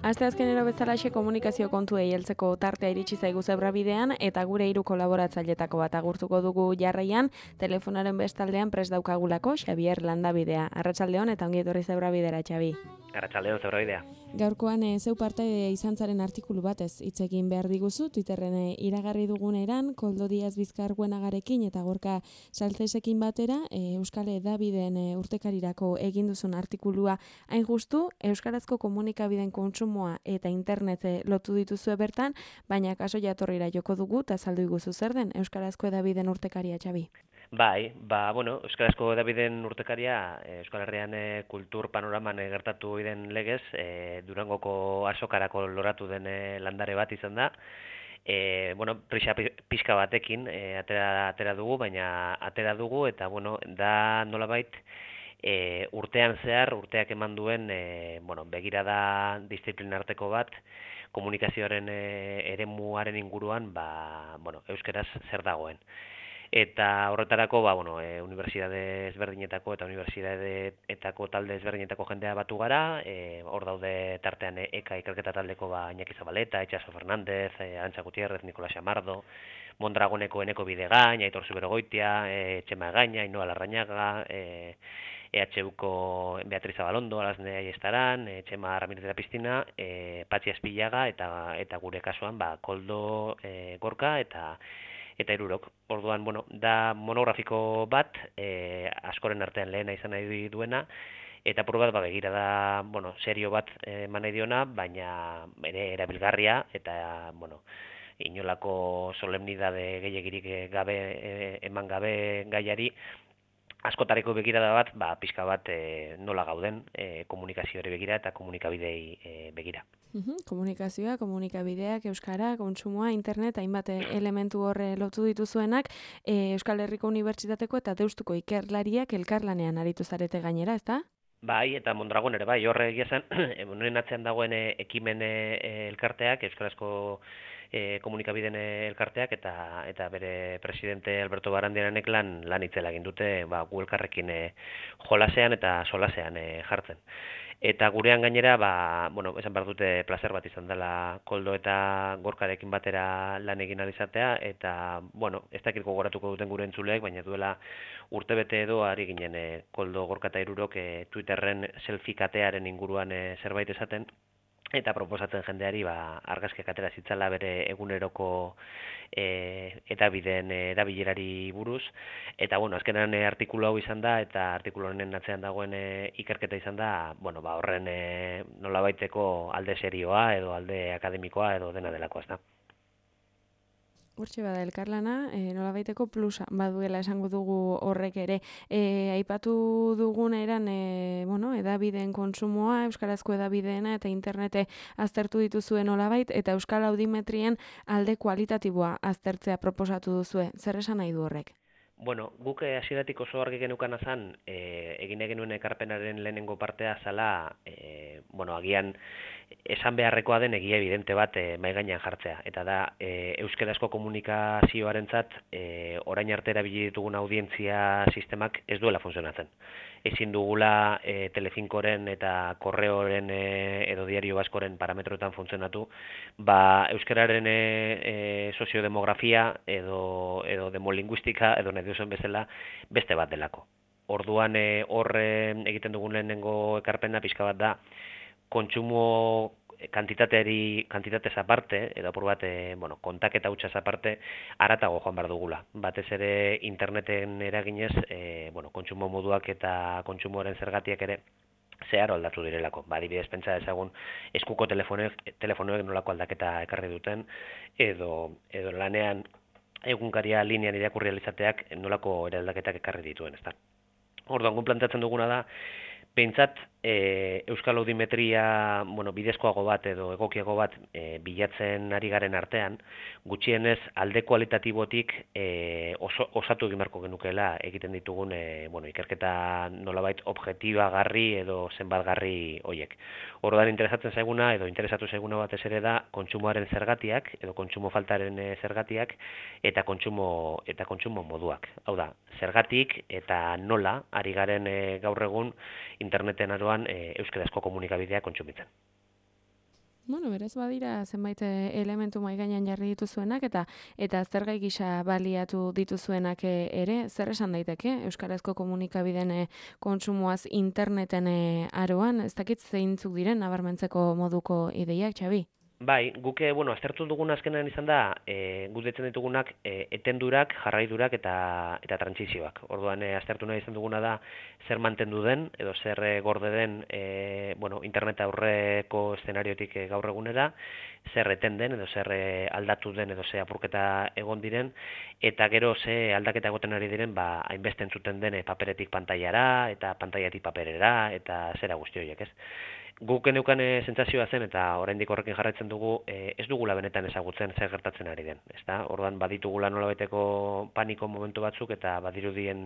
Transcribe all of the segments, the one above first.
Asteazkenero bezalaxe komunikazio kontuei heltzeko tartea iritsi zaigu Zebrabidean eta gure 3 kolaboratzailetako bat agurtuko dugu jarraian, telefonaren bestaldean prest daukagulako Xabier Landabidea. Arratsaldeon eta ongi etorri Zebrabidera, Xabi. Arratsaldeon, Zebrabidea. Gaurkoan zeu parte izan zaren artikulu batez hitz egin behar diguzu, Twitterren iragarri duguneran, Koldo Diaz Bizkar Buenagarekin eta Gorka Salcesekin batera, Euskal Hedabideen urtekarirako egin duzun artikulua hain justu, euskarazko komunikabideen kontsumoa eta internet lotu dituzue bertan, baina kaso jatorrira joko dugu eta azaldu iguzu zer den Euskarazko Hedabideen urtekaria, Xabi. Bai, Euskarazko Hedabideen urtekaria Euskal Herrian kultur panoraman gertatu den legez, Durangoko azokarako loratu den landare bat izan da. Prisa pixka batekin atera dugu, baina atera dugu eta da nolabait urteak eman duen begirada diziplinarteko bat komunikazioaren eremuaren inguruan euskaraz zer dagoen. Eta horretarako unibertsitate ezberdinetako eta unibertsitateetako talde ezberdinetako jendea batu gara, hor daude tartean EKA ikerketa taldeko Iñaki Zabaleta, Itxaso Fernández, Arantxa Gutierrez, Nikola Xamardo, Mondragoneko Eneko Bidegain, Aitor Zuberogoitia, Txema Egaña, Ainhoa Larrañaga, EHUko Beatriz Abalondo, Alasne Aiestaran, Txema Ramirez de la Piscina, Patxi Aspillaga eta gure kasuan Koldo Gorka eta hirurok. Orduan, da monografiko bat, askoren artean lehena izan nahi duena, eta apur bat begirada, serio bat eman nahi diona, baina ere erabilgarria, eta, inolako solemnidade gehiagirik gabe, eman gabe gaiari, askotareko begirada bat, pixka bat nola gauden komunikazioari begira eta komunikabidei begira. Komunikazioa, komunikabideak, euskara, kontsumoa, internet, hainbat elementu horre lotu dituzuenak, Euskal Herriko Unibertsitateko eta Deustuko ikerlariak elkarlanean aritu zarete gainera, ezta? Bai, eta Mondragon ere bai, horre egia zen, honen atzean dagoen ekimen elkarteak, euskarazko komunikabideen elkarteak eta bere presidente Alberto Barandiaranek lan itzela egin dute gu elkarrekin jolasean eta solasean jartzen. Eta gurean gainera, esan behar dute plazer bat izan dela Koldo eta Gorkarekin batera lan egin alizatea, eta, ez dakit gogoratuko duten gure entzuleek, baina duela urtebete edo ari ginen Koldo, Gorka eta hirurok Twitterren selfie katearen inguruan zerbait esaten, eta proposatzen jendeari argazkiak atera zitzala bere eguneroko hedabideen erabilerari buruz, eta azkenan artikulu hau izan da, eta artikulu honen atzean dagoen ikerketa izan da, horren nolabaiteko alde serioa edo alde akademikoa edo dena delakoa, ez da. Hortxe bada elkarlana, nolabaiteko plusa baduela esango dugu horrek ere. Aipatu dugun eran, hedabideen kontsumoa, euskarazko hedabideena eta internete aztertu dituzuen nolabait, eta euskal audimetrien alde kualitatiboa aztertzea proposatu duzue. Zer esan nahi du horrek? Guk hasieratik oso argi geneukan azan, egin genuen ekarpenaren lehenengo partea zala, agian esan beharrekoa den egia evidente bat mahai gainean jartzea. Eta da, euskarazko komunikazioarentzat orain arte erabili ditugun audientzia sistemak ez duela funtzionatzen. Ezin dugula Telefinkoren eta Korreoren edo Diario Baskoren parametroetan funtzionatu, euskararen soziodemografia edo demolinguistika edo nahi duzuen bezala beste bat delako. Orduan egiten dugun lehenengo ekarpena pixka bat da, kontsumo kantitatez aparte, edo apur bat, kontaketa hutsaz aparte, haratago joan behar dugula. Batez ere interneten eraginez, kontsumo moduak eta kontsumoaren zergatiak ere zeharo aldatu direlako. Adibidez, pentsa ezagun eskuko telefonoek nolako aldaketa ekarri duten, edo lanean egunkaria linean irakurri alizateak nolako eraldaketak ekarri dituen, ezta. Orduan, gu planteatzen duguna da, behintzat Euskal Audimetria, bidezkoago bat edo egokiago bat bilatzen ari garen artean, gutxienez alde kualitatibotik osatu egin beharko genukeela egiten ditugun ikerketa nolabait objektibagarri edo zenbatgarri hoiek. Orduan interesatzen zaiguna edo interesatu zaiguna batez ere da kontsumoaren zergatiak edo kontsumo faltaren zergatiak eta kontsumo moduak. Hau da, zergatik eta nola ari garen gaur egun interneten aroan euskarazko komunikabideak kontsumitzen. Bueno, berez badira zenbait elementu mahai gainean jarri dituzuenak eta zergai gisa baliatu dituzuenak ere, zer esan daiteke euskarazko komunikabideen kontsumoaz interneten aroan, ez dakit zeintzuk diren nabarmentzeko moduko ideiak, Xabi? Bai, guk aztertu dugun azkenean izan da, guk deitzen ditugunak etendurak, jarraidurak eta trantsizioak. Orduan aztertu nahi izan duguna da zer mantendu den edo zer gorde den internet aurreko eszenariotik gaur egunera, zer eten den edo zer aldatu den edo zer apurketa egon diren, eta gero ze aldaketa egoten ari diren hainbeste entzuten den paperetik pantailara eta pantaiatik paperera eta zera guzti horiek, ez? Guk geneukan sentsazioa zen eta oraindik horrekin jarraitzen dugu, ez dugula benetan ezagutzen zer gertatzen ari den, ezta? Orduan baditugula nolabaiteko paniko momentu batzuk eta badirudien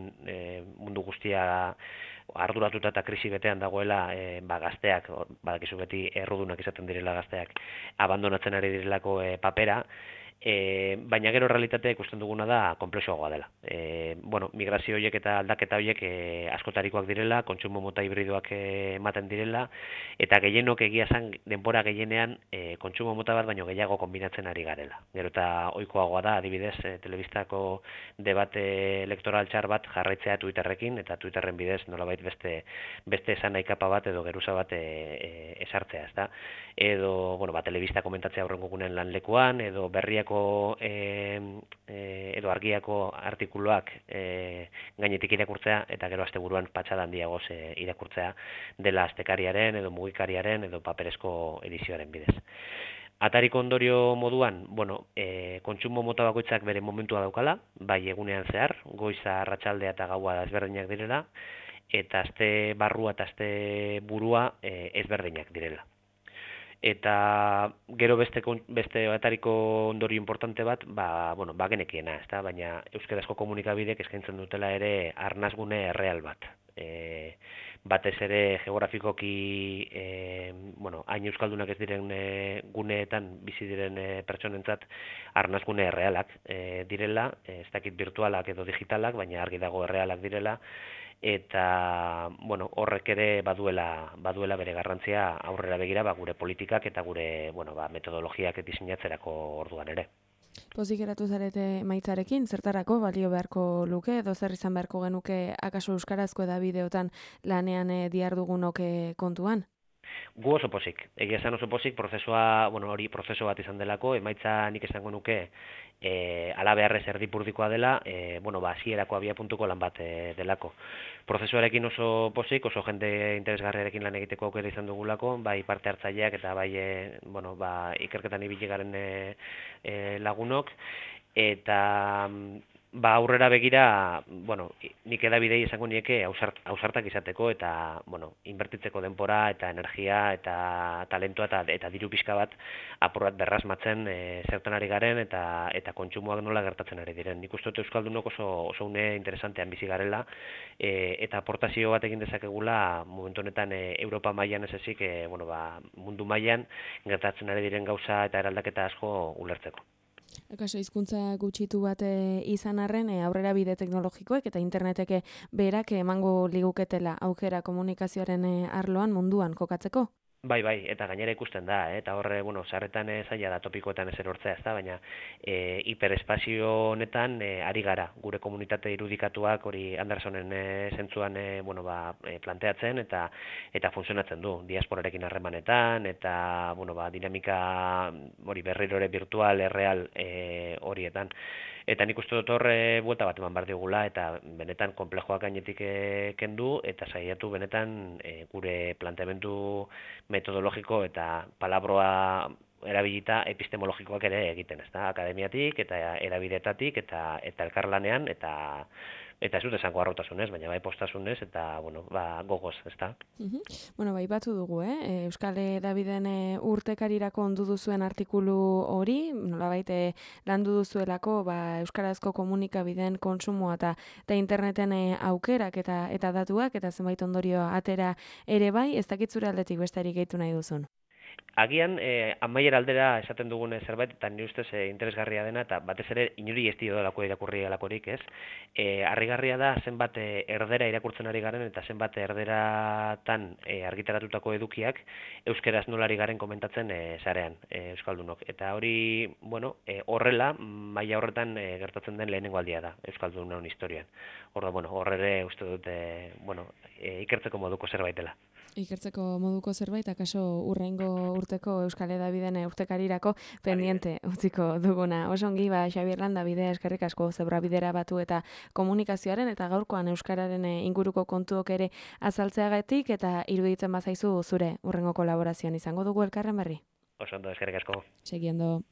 mundu guztia arduratuta eta krisi betean dagoela gazteak, badakizu beti errudunak izaten direla gazteak, abandonatzen ari direlako papera, baina gero realitatea ikusten duguna da konplexuagoa dela. Migrazio horiek eta aldaketa horiek askotarikoak direla, kontsumo mota hibridoak ematen direla, eta gehienok egia esan denbora gehienean kontsumo mota bat baino gehiago konbinatzen ari garela. Gero eta ohikoagoa da, adibidez, telebistako debate elektoral txar bat jarraitzea Twitterrekin, eta Twitterren bidez nolabait beste esan nahi kapa bat edo geruza bat esartzea, ezta? Edo, telebista komentatzea aurrengo gunen lanlekuan, edo berriako edo argiako artikuluak gainetik irakurtzea eta gero asteburuan patxada handiagoz irakurtzea dela astekariaren edo mugikariaren edo paperezko edizioaren bidez. Atariko ondorio moduan, kontsumo mota bakoitzak bere momentua daukala, bai egunean zehar, goiza, arratsaldea eta gaua ezberdinak direla, eta aste barrua eta aste burua ezberdinak direla. Eta gero beste atariko ondorio importante bat, genekiena, ezta? Baina euskarazko komunikabideek eskaintzen dutela ere arnasgune erreal bat. Batez ere geografikoki, hain euskaldunak ez diren guneetan bizi diren pertsonentzat arnasgune errealak direla, ez dakit virtualak edo digitalak, baina argi dago errealak direla, eta horrek ere baduela bere garrantzia aurrera begira gure politikak eta gure metodologiak diseinatzerako orduan ere. Pozik geratu zarete maitzarekin, zertarako balio beharko luke edo zer izan beharko genuke akaso euskarazko edabideotan lanean dihardugunok kontuan? Gu oso pozik. Egia esan oso pozik, prozesua, hori prozesu bat izan delako, emaitza nik esango nuke ala beharrez erdipurdikoa dela, hasierako abiapuntuko lan bat delako. Prozesuarekin oso pozik, oso jende interesgarriarekin lan egiteko aukera izan dugulako, bai parte hartzaileak eta bai ikerketan ibili garen lagunok, eta aurrera begira, nik edabidei esango nieke ausartak izateko eta, inbertitzeko denbora eta energia eta talentua eta diru pixka bat apur bat berrasmatzen zertan ari garen eta kontsumoak nola gertatzen ari diren. Nik uste dut euskaldunok oso une interesantean bizi garela eta aportazio bat egin dezakegula momentu honetan Europa mailan ez ezik, mundu mailan gertatzen ari diren gauza eta eraldaketa asko ulertzeko. Akaso hizkuntza gutxitu bat izan arren, aurrera bide teknologikoek eta interneteke berak emango liguketela aukera komunikazioaren arloan munduan kokatzeko? Bai, eta gainera ikusten da, eta horre, sarretan zaila da topikoetan ez erortzea, ez da, baina hiperespazio honetan ari gara, gure komunitate irudikatuak hori Andersonen zentzuan planteatzen eta funtzionatzen du, diasporarekin harremanetan, eta dinamika hori berrirore virtual, erreal horietan. Eta nik uste dut horre buelta bat eman behar digula eta benetan konplejoak gainetik kendu eta saiatu benetan gure planteamendu metodologiko eta palabroa erabilita epistemologikoak ere egiten, ezta? Akademiatik eta erabidetatik eta elkarlanean eta eta ez dut esango harrotasunez, baina bai postasunez eta bueno, gogoz, ezta? Bueno, bai batu dugu, Euskal Hedabideen urtekarirako ondu duzuen artikulu hori, nolabait landu duzuelako euskarazko komunikabideen kontsumoa eta interneten aukerak eta datuak eta zenbait ondorio atera ere bai, ez dakit zure aldetik besterik gehitu nahi duzun. Agian, amaiera aldera esaten dugun zerbait, eta nire ustez interesgarria dena, eta batez ere inuri ez diodalako irakurri alakorik, ez? Harrigarria da zenbat erdera irakurtzen ari garen, eta zenbat erderatan argitaratutako edukiak euskeraz nolari garen komentatzen sarean, euskaldunok. Eta hori, bueno, horrela, maila horretan gertatzen den lehenengo aldia da, euskaldunon historian. Horre uste dut, ikertzeko moduko zerbait dela. Ikertzeko moduko zerbait, akaso urrengo urteko Euskal Hedabideen urtekarirako pendiente utziko duguna. Osongi, Xabier Landa bidea eskerrik asko zebra bidera batu eta komunikazioaren eta gaurkoan euskararen inguruko kontuok ere azaltzeagatik eta iruditzen bazaizu zure urrengo kolaborazioan izango dugu elkarren berri. Oso ondo, eskerrik asko. Segiendo.